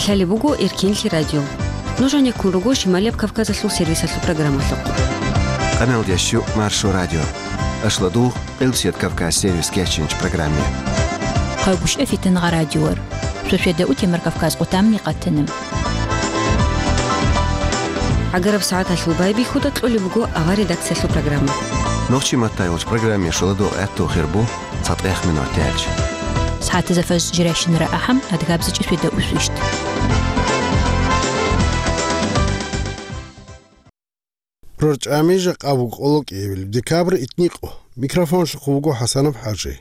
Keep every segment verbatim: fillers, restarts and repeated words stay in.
Лъалеб буго Эркенлъи радио. Нуж гьанеккун руго Шималияб Кавказалъул сервисалъул программалъухъ. Къаналда щу Маршо радио. Ашладугъ Къилбсият Кавказ сервис кечинч программе. Къайгушев Фитангъа радиор. Шошведа утемар Кавказ къутамни къатана. ГӀагараб сагӀаталъул байбихьуда кьолеб буго авар редакциялъул программа. Нохчи маттайолч программе шуладугъ гӀатту хирбу цатӀех минут тяч. СагӀатазда фаж жиращинара ахӀам адгабзичӀи шведа усвищт. РорчӀами жакъа буго къоло кӀиявил декабрь итникъо. Микрофонлъухъ вуго ХӀасанов ХӀажи.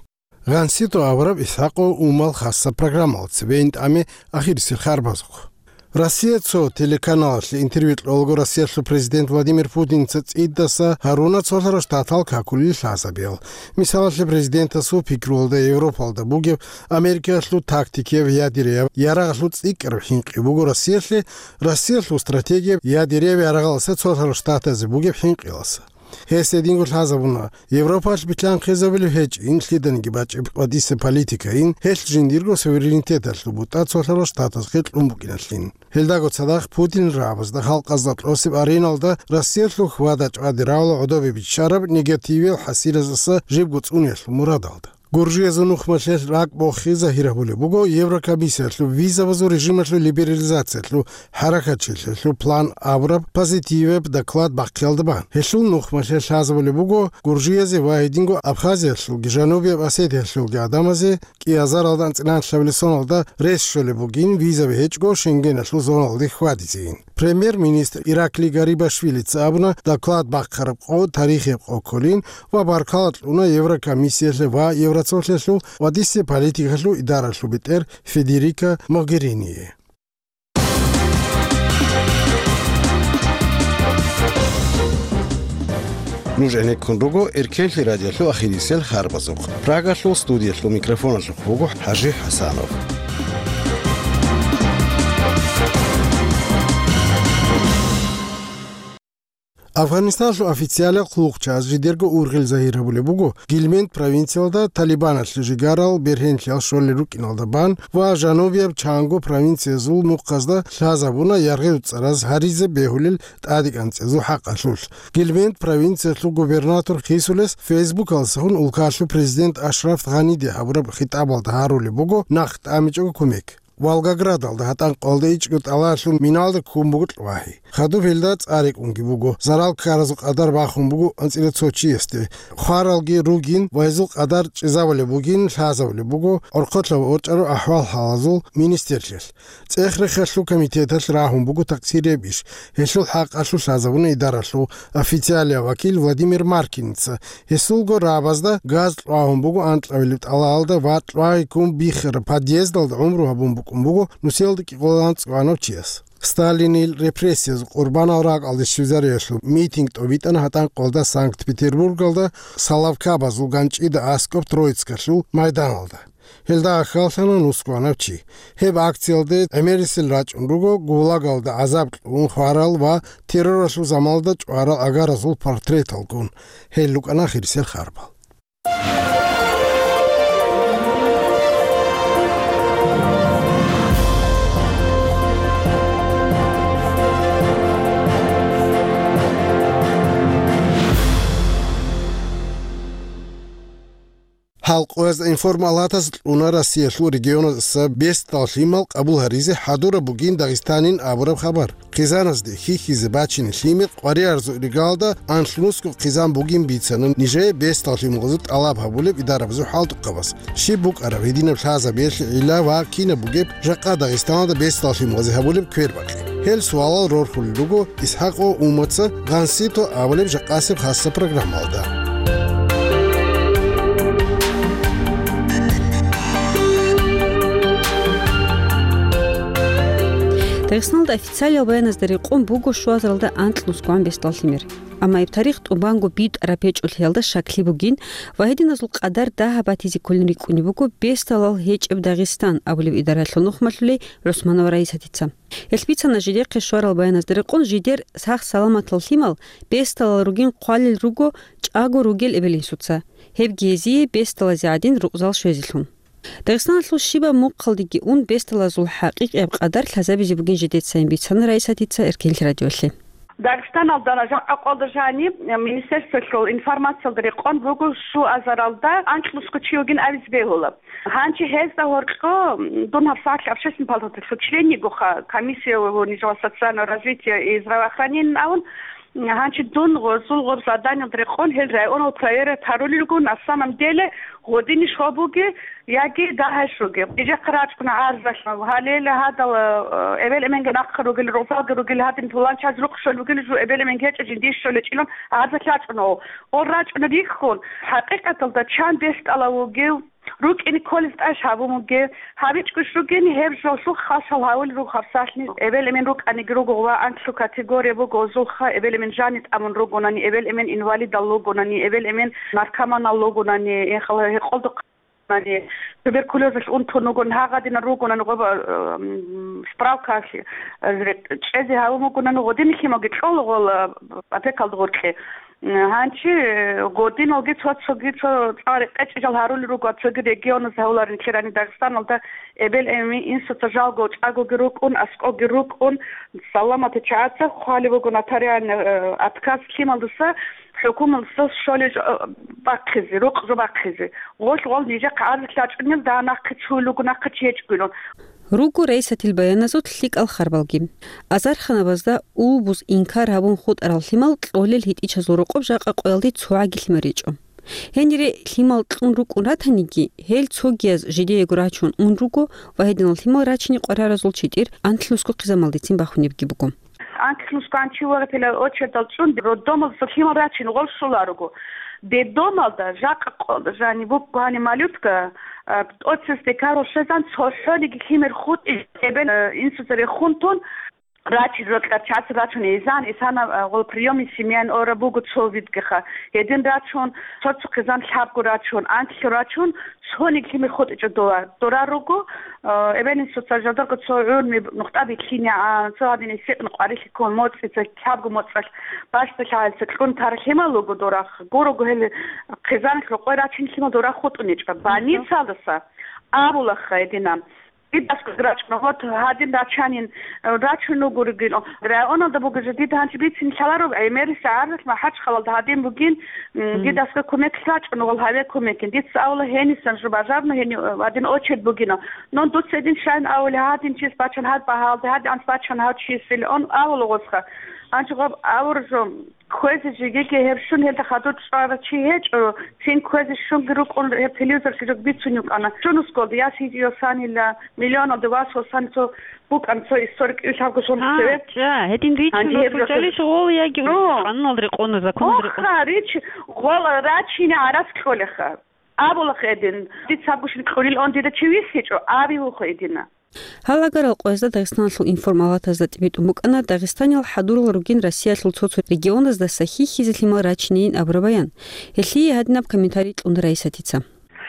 Гъансито авараб Исхакъо умал хасса программал цебейин тӀаме ахирисел харбазухъ. Россия цо телеканалалъе интервью кьолаго Россиялъул президент Владимир Путинца цӀидаса гьаруна цолъарал штатал какулел лъазабиял. Мисалалъе, президентасул пикруялда Европалда бугеб Америкаялъул тактикияб ядерияв ярагъалъул цӀикӀкӀараб хӀинкъи буго Россиялъе, Россиялъул стратегияб ядерияв ярагъаласа цолъарал штатазе бугеб хӀинкъиласа. Гьес гьединго лъазабуна, Европалъ билълъанхъизабулеб гьечӀин лъиданиги бачӀеб ва диса политикайин, гьелъ жиндирго суверенитеталъул бутӀа цолъарал штатазхъе кьун букӀиналъин. Гьелдаго цадахъ Путин рагӀабазда халкъазда кьосеб ареналда Россиялъул хьвада-чӀвади равла гӀодобе биччараб негативиял хӀасилаздаса жибго цӀуниялъул мурадалда. Гуржиязул нухмалъе ракӀ бохи загьир гьабулеб буго Еврокомиссиялъул визабазул режималъул либерализациялъул хӀаракатчилъиялъул план абураб позитивияб доклад бахъиялда бан. Гьелъул нухмалъе лъазабулеб буго Гуржиязе ва гьединго Абхазиялъулги Жанубияб Осетиялъулги гӀадамазе кӀиазаралда анцӀила лъабилеб соналда рес щолеб бугин визаби гьечӀго Шенгеналъул зоналде хьвадизейин. Премьер-министр Ираклий Гарибашвилица абуна, доклад бахъараб къо тарихияб къо кколин ва баркала кьуна Еврокомиссиялъе ва Евроцолъиялъул ва дисе политикалъул идаралъул бетӀер Федерика Могериние. Нуж гӀенеккун руго Эркенлъи радиолъул ахирисел харбазухъ. Прагалъул студиялъул микрофоналъухъ вуго ХӀажи ХӀасанов. Афганистаналъул официалиял хъулухъчияз жидерго ургъел загьир гьабулеб буго Гильмент провинциялда Талибаналъе жигарал бергьенлъиял щолел рукӀиналда бан ва жанубияб чанго провинциязул мухъазда лъазабуна яргъи-уцӀараз гьаризе бегьулел тӀадекӀанцӀазул хӀакъалъулъ. Гильмент провинциялъул губернатор хисулес Фейсбукалдасаго улкалъул президент Ашраф Гъаниде гьабураб хитӀабалда гьарулеб буго нахъ тӀамичӀого кумек. Волгоградалда гьатӀанкъалда ичӀго тӀалаялъул миналда ккун буго кьвагьи. Хадуб гьелда цӀа рекӀунги буго, зарал ккаразул къадар бахун буго анцӀила цо чиясде. Хваралги ругин ва гьезул къадар чӀезабулеб бугин лъазабулеб буго орхъолъа ва орчӀараб ахӀвал-хӀалазул министрлъиялъ. ЦӀех-рехалъул комитеталъ рагьун буго такъсир гьеб иш. Гьелъул хӀакъалъулъ лъазабуна идаралъул официалияв вакил Владимир Маркиница. Гьесулго рагӀабазда газ кьвагьун буго анкьабилеб тӀалаялда ва кьвагьи ккун биххараб подъездалда гӀумру гьабун букӀун буго нусиялда кӀикъоялда анцӀгоанав чияс. Сталинил репрессиязул къурбанал ракӀалде щвезариялъул митинг тӀобитӀана гьатӀанкъалда Санкт-Петербургалда Соловкабазул ганчӀида аскӀоб Троицкалъул майданалда. Гьелда ахьаллъана нусгоанав чи. Гьеб акциялде гӀемерисел рачӀун руго гулагалда гӀазаб кьун хварал ва терроралъул заманалда чӀварал агаразул портреталгун. Гьел рукӀана хирисел харбал. Гьал къоязда информалатаз кьуна Россиялъул регионаздаса бесдал лъимал къабул гьаризе хӀадураб бугин Дагъистанин абураб хабар. Хъизаназде хьихьизе бачине лъимер къваригӀарзул иргалда анлънусго хъизан бугин бицана нижее бесдал лъималазул тӀалаб гьабулеб идарабазул хӀалтӀухъабаз. Щиб букӀараб гьединаб лъазабиялъе гӀилла ва кинаб бугеб жакъа Дагъистаналда бесдал лъималазе гьабулеб квербакъи? Гьел суалал рорхулел руго ИсхӀакъо Умаца Гъансито абулеб жакъасеб хасса программалда. Дагъистаналда официалиял баяназда рекъон буго щуазаралда анкьнусгоан бесдал лъимер. Амма гьеб тарих тӀубанго битӀараб гьечӀолъиялда щаклъи бугин ва гьединазул къадар дагьаб батизе кколин рикӀкӀунеб буго бесдалал гьечӀеб Дагъистан абулеб идараялъул нухмалъулей ГӀусманова Раисатица. Гьелъ бицана жидехъе щварал баяназда рекъон жидер сах-саламатал лъимал бесдалал ругин хъвалел руго чӀаго ругел эбел-инсуца, гьебги гьезие бесдалазе гӀадин рукъзал щвезелъун. Дагъистаналъул щибаб мухъалдеги ун бесдалазул хӀакъикъияб къадар лъазабизе бугин жидецайин бицана Раисатица Эркенлъи радиолъе. Дагъистаналда жакъа къолда жаниб министерствоялъул информациялда рекъон буго, щуазаралда анкьнусго чи вугин абизе бегьула. Гьанчи гьезда гьоркьо дун гьабсагӀат общественный палаталъул членигоха, комиссия нижего социального развития и здравоохранения авун, гьанчи дун гъозул гъоб заданиялда рекъон гьел районал проверять гьарулел руго, на самом деле гъодини щиб бугеб яги дагьай щугеб. Нижехъе рачӀуна гӀарзалъ, гьалел гьадал, э, эбел-эменги нахъа ругел, рузалги ругел, гьадин пуланчаз рукъ щолеб бугел, жо эбел-эменги гьечӀо, жиндие щолечӀилан гӀарзалъ рачӀуна. Гъол рачӀуна рихьун, хӀакъикъаталда чан бесдалав вугев, рукӀине кколез тӀаде гьабун бугев, гьабичӀого щугин гьеб жолъухъ хал-шал гьавулел руго гьабсагӀатни. Эбел-эмен рукӀаниги руго ва анкьго категория буго гъозулха, эбел-эмен жани тӀамун ругонани, эбел-эмен инвалидал ругонани, эбел-эмен наркоманал ругонани, гьекъолда туберкулезалъ унтун вугонани, гьагъадинал ругонани гъоба, м, справкаялъ, э, чӀезе гьавун вугонани, гъодинлъималги кьола гъола, э, опекалда гъоркье. Гьанчи, э, гъодиналги цо-цоги цо цӀар къечӀи жал гьарулел руго, цоги регионаз гьавуларин ккерани Дагъистаналда эбел-эмен инсуца жалго чӀагоги рукӀун, аскӀоги рукӀун, саламатичагӀаца хъвалеб буго нотариальный, э, отказ лъималдаса, хӀукумалдаса щолел жо, э, бахъизе, рукъ жо бахъизе. Гъолъ гъол нижехъ гӀарзалъ рачӀунел, дагь нахъе цуюл руго, нахъе чи гьечӀогилан. Руго Раисатил баяназул лъикӀал харбалги. Азарханабазда улбуз инкар гьабун хутӀарал лъимал кьолел гьитӀичазул рокъоб жакъа къоялде цогӀаги лъимал речӀо. Гьенире лъимал кьун рукӀун ратаниги, гьел цогияз жидеего рачун ун руго ва гьединал лъимал рачине къвараразул читӀир анкьнусго хъизамалдецин бахунебги буго. Анкьнусго анчи вагъипила очередал цӀун роддомалдаса лъимал рачин гъол щоларуго. Детдомалда жакъа къо-, жани буго гьани малютка, а, тӀоцесде карал щвезан цохӀониги лъимер хутӀи эбел, а, инсуца рехун тун, рачи рокьарчаца рачун изан, исана, а, гъол приёмный семьяян ора буго цо видгиха. Гьедин рачун, цо-цо хъизан лъабго рачун, анкьго рачун, цониги лъимер хутӀичӀо дова. Дора руго, а, эбел-инсуца жадарго цо гӀурми нухтӀа битлъинегӀан, цо гьадин гьесикьна къварилъи ккун, моцӀица, лъабго моцӀалъ бащдалъагӀелца кьун тарал лъимал руго дорахъ. Гурого гьел хъизан рокъой рачин лъимал дора хутӀуничӀо. Больницалдаса абулаха гьединан. Дидасго рачӀуна, вот гьадин рачанин, рачун ругуригил. Районалда бугеб жо дида гьанчи бицин лъалароб, гӀемерисеб гӀарзалъ МахӀачхъалалда гьадин бугин, м, Мгм. дидасго кумек рачӀуна, гъол гьаве кумекин. Дица авла гьенисан жо бажарна, гьени, э, гьадин очередь бугина. Нун дуца гьедин щайин авли, гьадин чис бачан гьад багьалде, гьадин анц бачан гьав чис, или он авла гъосха. Анчи гъоб авур жо. Кквезе жегеги гьеб щун гьелда хадур чӀварав чи гьечӀо, цин кквезе щунги рукӀун гьеб телевизорги жо бицун йукӀана. Щун усголда, яс гьитӀиосанила, миллионалде вас осани цо букӀан цо историк ил лъабго сон А, цеве. ча, гьедин ричун Гьанже гьеб жо бакӀалищ гъол яги О. къануналда рекъона, законалда рекъона? Охра, рич, гъол рачине гӀарац кьолеха. Абулахъ гьедин, дица гушин кьурил он дида чи вихьичӀо, аби вухъ гьедина. Гьал агарал къоязда Дагъистаналъул информалатазда тӀибитӀун букӀана Дагъистанил хӀадурал ругин Россиялъул цо-цо регионаздаса хьихьизе лъимал рачинейин абураб баян. Гьелъие гьадинаб комментарий кьуна Раисатица.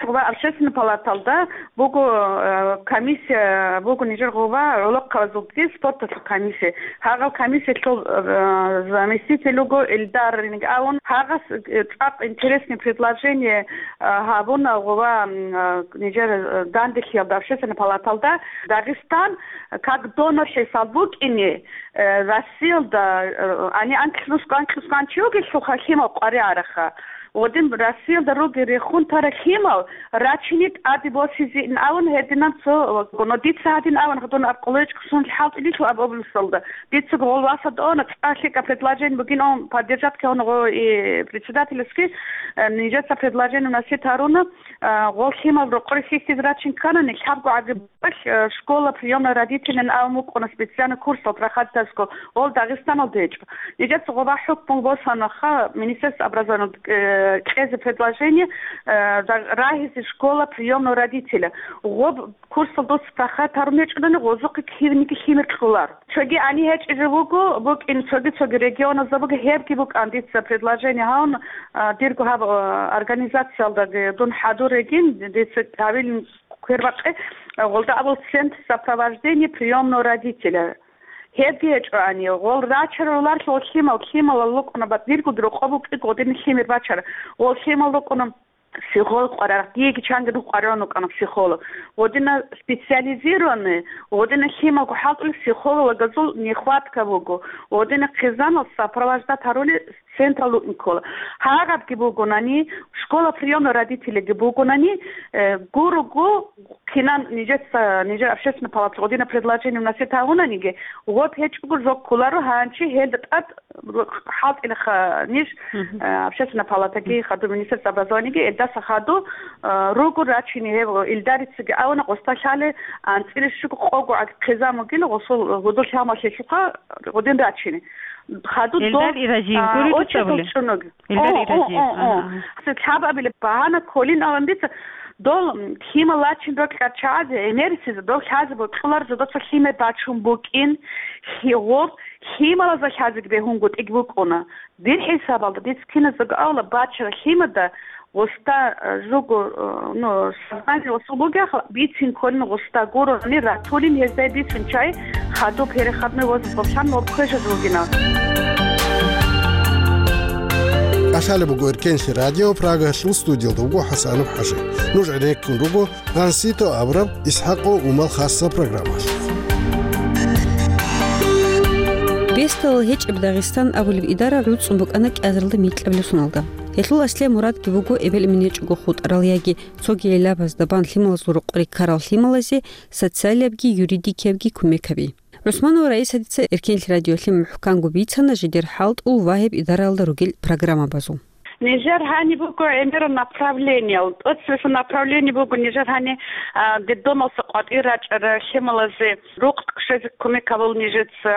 Ва общественный палаталда буго, э, комиссия буго нижер гъуба гӀолохъабазулги спорталъул комиссия. Гьагъал комиссиялъул, э, заместитель вуго Эльдар Рингавун. Гьагъас, э, цӀакъ интересный предложение, э, гьабуна гъуба, м, э, нижер, э, данделъиялда, общественный палаталда. Дагъистан как донор хӀисаб букӀине, э, Россиялда, э, ани анкьлъус-, анкьлъускан чи вугелъулха лъимал къваригӀараха. Гъодин Россиялда руги рехун тара лъимал рачине тӀаде босизеин авун гьединан цо, но дица гьадин авун, гьадин аб къолечӀ ксун хӀалтӀилилъу аб областалда. Дица гъол васад она, цӀа лъикӀа предложение бугин он поддержать ккун гъо и председательски, э, нижеца предложение вносить гьаруна, э, гъол лъимал рокъоре хьихьиз рачин кканани, лъабго гӀаги Э, школа приёмной родителян абун букӀуна, специально курсал проходитасго, ол Дагъистаналда гьечӀо. Нижеца гъоба хӀукму босанаха Министерство образования, э, кьезе предложение, э, да-, рагьизе школа приёмной родителя. Гъоб курсал дос проходит гьарун гьечӀолани, гъозухъе кивниги лъимер кьолар. Цоги гьани гьечӀизе вуго, букӀин цоги-цоги регионазда буго, гьебги букӀан дица предложение гьавун, а, дирго гьаб, а, организациялдаги дун хӀадур регин, дица гьавилин квербакъи, гъолда абул центр сопровождения приёмного родителя. Гьебги гьечӀоани, гъол рачарулар гъол лъимал, лъималал рукӀуна, бат диргуги рокъоб букӀи гъодин лъимер бачара. Гъол лъимал рукӀуна, психолог къваригӀараб, диеги чанги руго къваригӀун вукӀана психолог. Гъодина специализированный, гъодина лъималго хӀалтӀулел психологазул нехватка буго. Гъодина хъизаналъ сопровождать гьарули централда вукӀине ккола. Гьагъабги бугонани, школа приёмный родителейги бугонани, э, гурого кинан нижеца, нижер общественный палаталъ гъодина предложение вносить гьавунаниги, гъоб гьечӀого жо кколаро гьанчи гьелда тӀад хӀалтӀилаха ниж, Мгм. э, общественная палатаги, хадур министерство образованиеги, элдаса хадур, э, руго рачине гьеб, Илдарицаги авана, гъоста лъалеб анцӀила щуго къого гӀаг хъизан бугила гъосул гьудул лъималъулъха гъодин рачине. Хадур Элдар дов, Иразиев а, гури очередь дуца були? ЧӀунуги. Элдар О, о, Иразиев. о, о. Ага. Лъабабилеб багьана кколин аван дица, дол, м, лъимал рачин рокьарчагӀазе, гӀемерисезда дол лъазе бокьулар жодоца лъимер бачун букӀин, лъи-, гъоб лъималазда лъазеги бегьунгутӀиг букӀуна. Дир хӀисабалда, дица киназдаго авала, бачара лъимада гъоста, э, жуго, э, ну, сознание гъосул бугеха, бицин кколин гъоста гурони ратулин гьездай бицун чай, хадуб переходной возраст босанлъун кквежаз вугина. КӀалъалеб буго Эркенлъи радио, Прагалъул студиялда вуго ХӀасанов ХӀажи. Нуж гӀенеккун руго Гьансито абураб ИсхӀакъо Умал хасса программалъ. Бесдалал гьечӀеб Дагъистан абулеб идара гӀуцӀун букӀана кӀиазаралда микьабилеб соналда. Гьелъул аслияб мурадги буго эбел-эмен гьечӀого хутӀарал яги цоги гӀиллабазда бан лъималазул рокъоре ккарал лъималазе социалиябги юридикиябги кумек гьаби. ГӀусманова Раисатица Эркенлъи радиолъе мухӀканго бицана жидер хӀалтӀул ва гьеб идараялда ругел программабазул. Нижер гьаниб буго гӀемерал направлениел. ТӀоцебесеб направление буго нижер гьани, а, детдомалса къватӀир рачӀарал лъималазе рукъ щвезе кумек гьабула нижеца,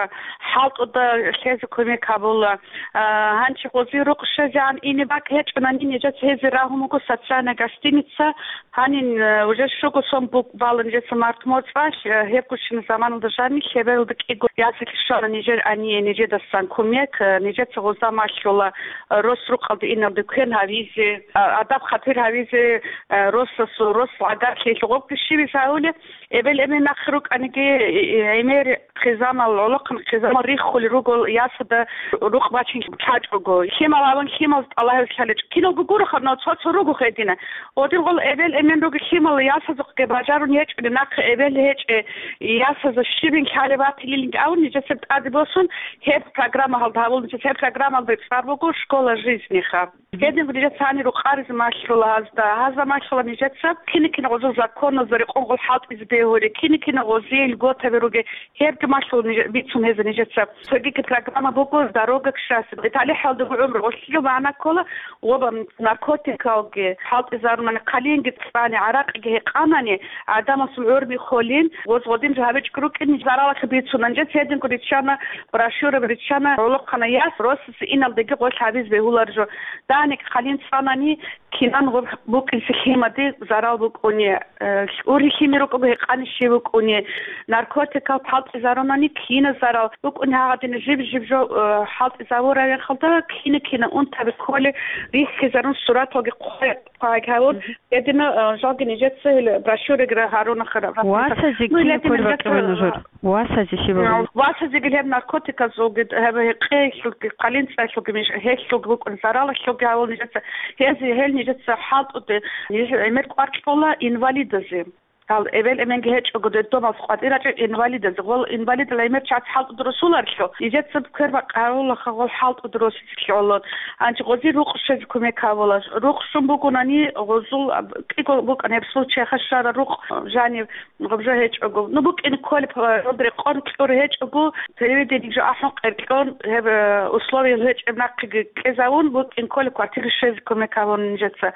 хӀалтӀуда лъезе кумек гьабула. А, гьанчи гъози рукъ щвезегӀан ине бакӀ гьечӀонани, нижеца гьезие рагьун буго социальная гостиница. Гьанин, э, уже щуго сон бук-, бала нижеца март моцӀалъ, э, гьебгощин заманалда жаниб лъебералда кӀиго ясалъ щвана нижер гьание нижедасан кумек, э, нижеца гъоза малъула, э, рос рукъалде иналде квен гьавизе, а, адаб-хатир гьавизе, э, росасул, рос гӀагарлъи гъобги щибиз гьавулеб, эбел-эмен нахъе рукӀаниги, э, э, гӀемер хъизамал, гӀолохъан хъизамал риххулел руго ясада рукъ бачин лъачӀого. Лъимал аван лъимал тӀалаб гьабизе лъалечӀо. Киналго гуроха, но цо-цо руго гьедина. Гъодин гъол эбел-эмен ругел лъимал ясазухъе бажарун гьечӀони, нахъе эбел гьечӀеб ясазда щибин лъалеб батилилинги авун, нижеца тӀаде босун, гьеб программа гьалда гьабул нижеца. Гьеб программалда цӀар буго «Школа жизни»ха. Гьедин нижеца гьанир рукъаризе малъула гьазда. Гьазда малъула нижеца кина-кина гъозул законазда рекъон гъол хӀалтӀизе бегьулел, кина-кина гъозие льготаби ругел, гьебги малъула ниж-, бицун гьеза нижеца. Цогиги программа буго «Дорога к счастью». ИталихӀалдаго гӀумру гъолъие магӀна ккола, ва наркотикалги хӀалтӀизарунани, хъалинги цӀани, гӀаракъиги гьекъанани, гӀадамасул гӀурми холин, гъоз гъодин жо гьабичӀого рукӀин, заралалъе бицунан. Нижеца гьединго риччана, брошюра риччана, гӀолохъанай яс, росасе иналдеги гъолъ гьабизе бегьулар жо. ДагӀаниги хъалин цӀанани, кинан гъоб букӀинси лъимаде зарал букӀуни, э, ургьи лъимер рукӀого гьекъани щиб букӀуни, наркотикал хӀалтӀизарунани кина зарал букӀуни, гьагъадина жиб-жиб жо, э, хӀалтӀизавураб мехалда кина-кина унтаби кколел рихьизарун, сураталги хъвай-, хъвай гьавун, Мгм. гьедина, э, жалги нижеца гьел брошюраги гьаруна хара. Васазе Ну, кин леб кколеб нижеца бакӀиба нужер? Васазе щиб абуни? Васазеги гьеб наркотиказулги, гьеб гьекъеялъулги, хъалинцӀаялъулги, миш-, гьелъулги букӀун, заралалъулги гьавул нижеца, гьез-, гьел нижеца хӀалтӀуде, ниж гӀемер кӀвар кьола инвалидазе. Гьал эбел-эменги гьечӀого, детдомалъ къватӀир рачӀел инвалидазе. Гъол инвалидал гӀемер чияс хӀалтӀуде росуларелъул, нижеца квербакъ гьавулаха гъол хӀалтӀуде росизе лъолон. Гьанже гъози рукъ щвезе кумек гьавула. Рукъ щун бугонани, гъозул, кӀиго букӀана гьеб случайха щвара рукъ жанив, гъаб жо гьечӀого. Ну, букӀине кколеб, э, рекъон кьур гьечӀого, телевидениеги жо ахӀун къеркьон, гьеб, э, условиял гьечӀеб нахъеги кьезавун, букӀине кколеб квартире щвезе кумек гьабуна нижеца.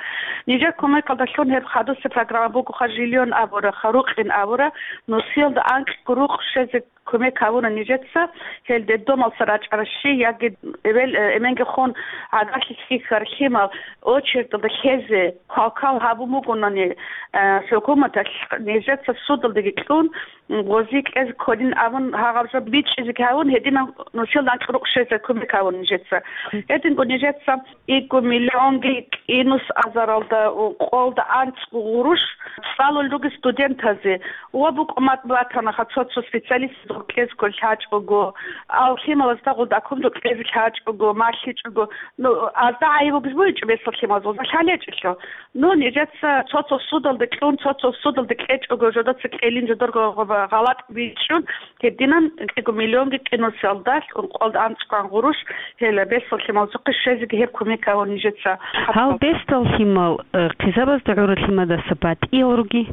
Нижер кумекалдалъун гьеб хадусеб программа бугоха, «Жильон» абура, ха, рукъин абура, нусиялда анкьго рукъ щвезе кумек гьабуна нижеца, гьел детдомалса рачӀаращи, яги эбел, э, эменги хун гӀагарлъи хьихьар лъимал очередалда лъезе квалквал гьабун бугонани, э, хӀукуматалъ, нижеца судалдаги кьун, м, гъози кьезе кколин абун, гьагъаб жо бичӀчӀизеги гьавун, гьединан нусиялда анкьго рукъ щвезе кумек гьавун нижеца. Гьединго нижеца кӀиго миллионги кӀинус азаралда, у, къолда анцӀго гъурущ цӀалулел ругес студентазе. Ва букӀумат батанаха цо-цо специалист кьезго лъачӀого, ал лъималазда гъудакумду кьезе лъачӀого, малъичӀого. Ну, азда гӀайиб бугез бугьичӀо бесалъималаз, ва лъалечӀелъо. Ну, нижеца цо-цо судалде кьун, цо-цо судалде кьечӀого, жодоца кьелин, жодорго гъалатӀ бичӀчӀун, гьединан кӀиго миллионги кӀинусиялдалъ ункъоялда анцӀкӀван гъурущ, гьела бесалъималзухъе щвезеги гьеб кумек гьавун нижеца. Гьал бесдал лъимал, э, хъизабазда гӀурал лъимадаса батӀиял руги?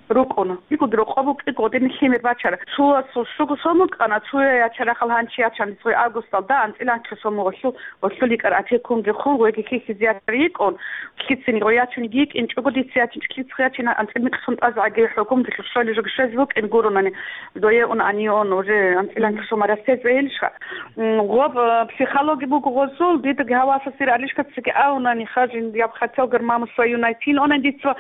РукӀуна. Дигуд рокъоб букӀи гъодин лъимер бачара. Цуасул щуго сом букӀана, цуя ячарахъал гьанчи ячан, цо августалда анцӀила анлъго сом гъолъу, гъолъул йикӀар опекунги хун, гъойги хьихьизе ячар йикӀун, лъицин гъой ячун йикӀинчӀого, дица ячинчӀо, лъицха ячин анцӀила микьсун тӀазгӀаги хӀукумдалъ щолеб жо щвез букӀин гурунани, дое ун гьанион уже анцӀила анлъго сом растез бегьилищха. М, гъоб, э, психологи буго гъозул, дидаги гьавасасир алишкацаги авунани хажин, я б хотел гар маму свою найти, онан дица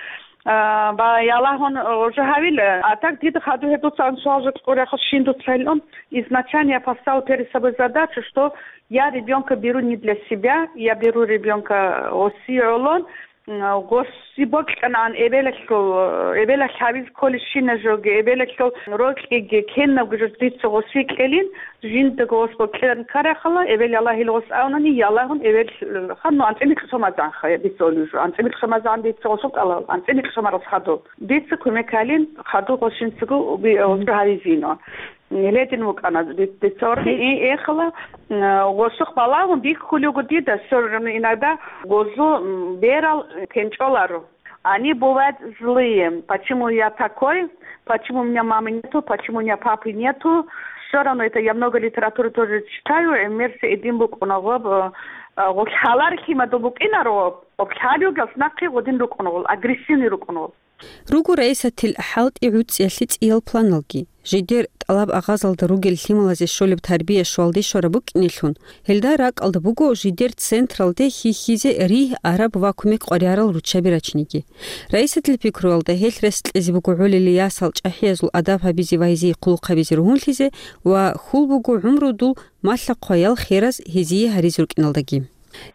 А, ва ялагьун, э, уже гьавила. А так дида хадур гьедуца анцӀила жо кьурахъа щин дуца гьелъун. Изначально я поставил перед собой задачу, что я ребёнка беру не для себя, я беру ребёнка гъоси гӀолон, м, гъоси бокьанан эбелалъул, э, эбелалъ гьавиз кколищина жоги, эбелалъул рокьиги, кенабго жо дица гъоси кьелин, Жиндаго гъос бокьаран карахъала, эбел ялагьил гъос авнани, ялагьун эбел, э, ханну анцӀила микьсумазанха, я дица олижу, анцӀила микьсумазан дица гъосул кӀалал, анцӀила микьсумарас хадуб. Дица кумек гьалин, хадуб гъос жинцаго би-, э, гьавизино. Ледин вукӀана ди-, дица орги, и эхала, э, гъосухъ балагьун бихьулего дида, все равно иногда гъозу, м, берал, э, кенчӀоларо. Они бывают злые. Почему я такой? Почему у меня мамы нету? Почему у меня папы нету? Все равно это я много литературы тоже читаю. Э, мерси эдин букӀуна гъоб, э, э, гъоб лъалар лъимадул букӀинаро, гъоб лъалиугас нахъе гъодин рукӀуна гъол, агрессивный рукӀуна гъол. Руго Раисатил хӀалтӀи гӀуцӀиялъе цӀиял планалги. Жидер тӀалаб агъазалда ругел лъималазе щолеб тарбия щвалде щвараб букӀинелъун, гьелда ракӀалда буго жидер централде хьихьизе ригь араб ва кумек къваригӀарал руччаби рачиниги. Раисатил пикруялда гьелъ рес кьезе буго гӀолили ясал чӀахӀиязул адаб гьабизе ва гьезие хъулухъ гьабизе ругьунлъизе ва хьул буго гӀумрудул малъа-хъваял хераз гьезие гьаризе рукӀиналдаги.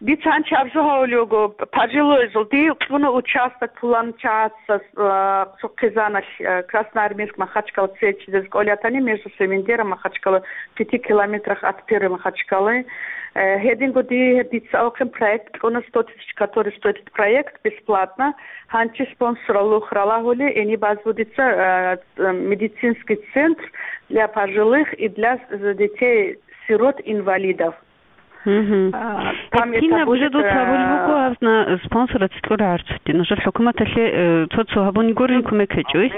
Дица гьанчи абжу гьавулев вуго, пожилойзул, дие кьуна участок пулан чагӀаца, э, цо хъизаналъ, э, Красноармейск Махачкала цечӀидез кӀолятани между Севендером Махачкала, пяти километрах от первой Махачкалы. Э, гьединго дие гьеб дица авухъин проект кьуна, сто тысяч, который стоит этот проект, бесплатно. Гьанчи спонсорал лух ралагьули, гьениб базбу дица, э, медицинский центр для пожилых и для, э, детей-сирот-инвалидов. Мгм. А, там это кинаб уже будет, дуца гьабулеб э, буго, гьазна спонсорацин кьура гӀарцулъе. Нужер хӀукуматалъе, э, цо-цо гьабуни гурин кумек гьечӀо.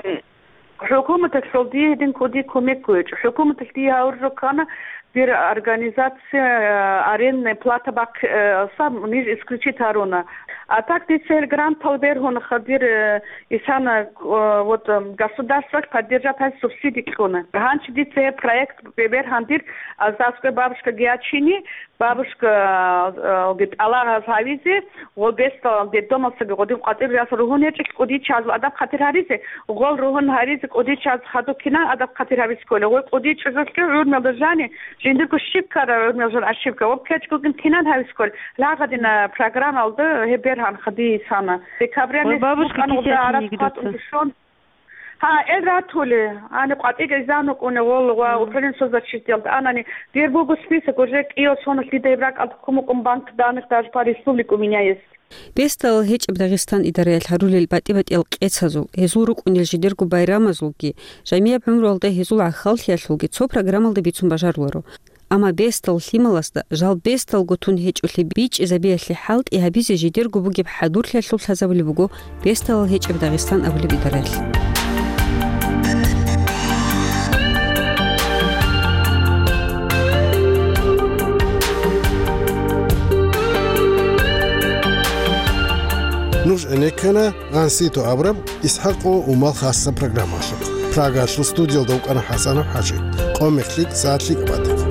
ХӀукуматалъул дие гьедин кӀуди кумек гьечӀо. ХӀукуматалъ дие гьавуржо ккана, дир организация, э, арендная плата бахъ-, э, саб ниж исключить гьаруна. А так дица гьел грантал бергьуна хадир, э, Исана, э, вот, э, государстволъ поддержать гьаризе субсиди кьуна. Гьанчи дица гьеб проект бе-, бергьан дир, аздасго бабушка гьечӀони, бабушка, э, ги тӀалаб гьабизе, гъо бесдал детдомалдасаги гъодин къватӀир яс ругьун гьечӀелъ кӀудияв чиясул адаб хъатир гьаризе, гъол ругьун гьаризе кӀудияв чияс хадуб кинан адаб хъатир гьабизе кколел, гъой кӀудияв чӀужулъги гӀурмиялда жани, жиндирго щиб ккара гӀурмиял жан гӀащиб ккара, ва кечӀгогин кинан гьабизе кколел, лагъадина программалда гьеб бергьанха дие Исана. Декабрялъ бабушка букӀана гъуда гьарас кӀиго хъватӀун дуца. Бищун. Гьа, эл ратули, гьаниб къватӀиги изан вукӀуна гъол ва Мгм. управление соцзащитиялда анани, дир буго список, уже кӀиго соналъ дида гьеб ракӀалда ккун букӀун банк данных даже по республике у меня есть. Бесдалал гьечӀеб Дагъистан идараялъ гьарулел батӀи-батӀиял къецазул, гьезул рукӀунел жидерго байрамазулги, жамияб гӀумруялда гьезул гӀахьаллъиялъулги цо программалда бицун бажаруларо. Амма бесдал лъималазда жал бесдалго тун гьечӀолъи бичӀчӀизабиялъе хӀалтӀи гьабизе жидерго бугеб хӀадурлъиялъул лъазабулеб буго Бесдалал гьечӀеб Дагъистан абулеб идараялъ. Нуж гӀенеккана Ансито абураб ИсхӀакъ ва Умал хасаб программалъухъ. Прагалъул студиялда вукӀана ХӀасанов ХӀажи. Къо-мех лъикӀ, сагӀат лъикӀаб батаха.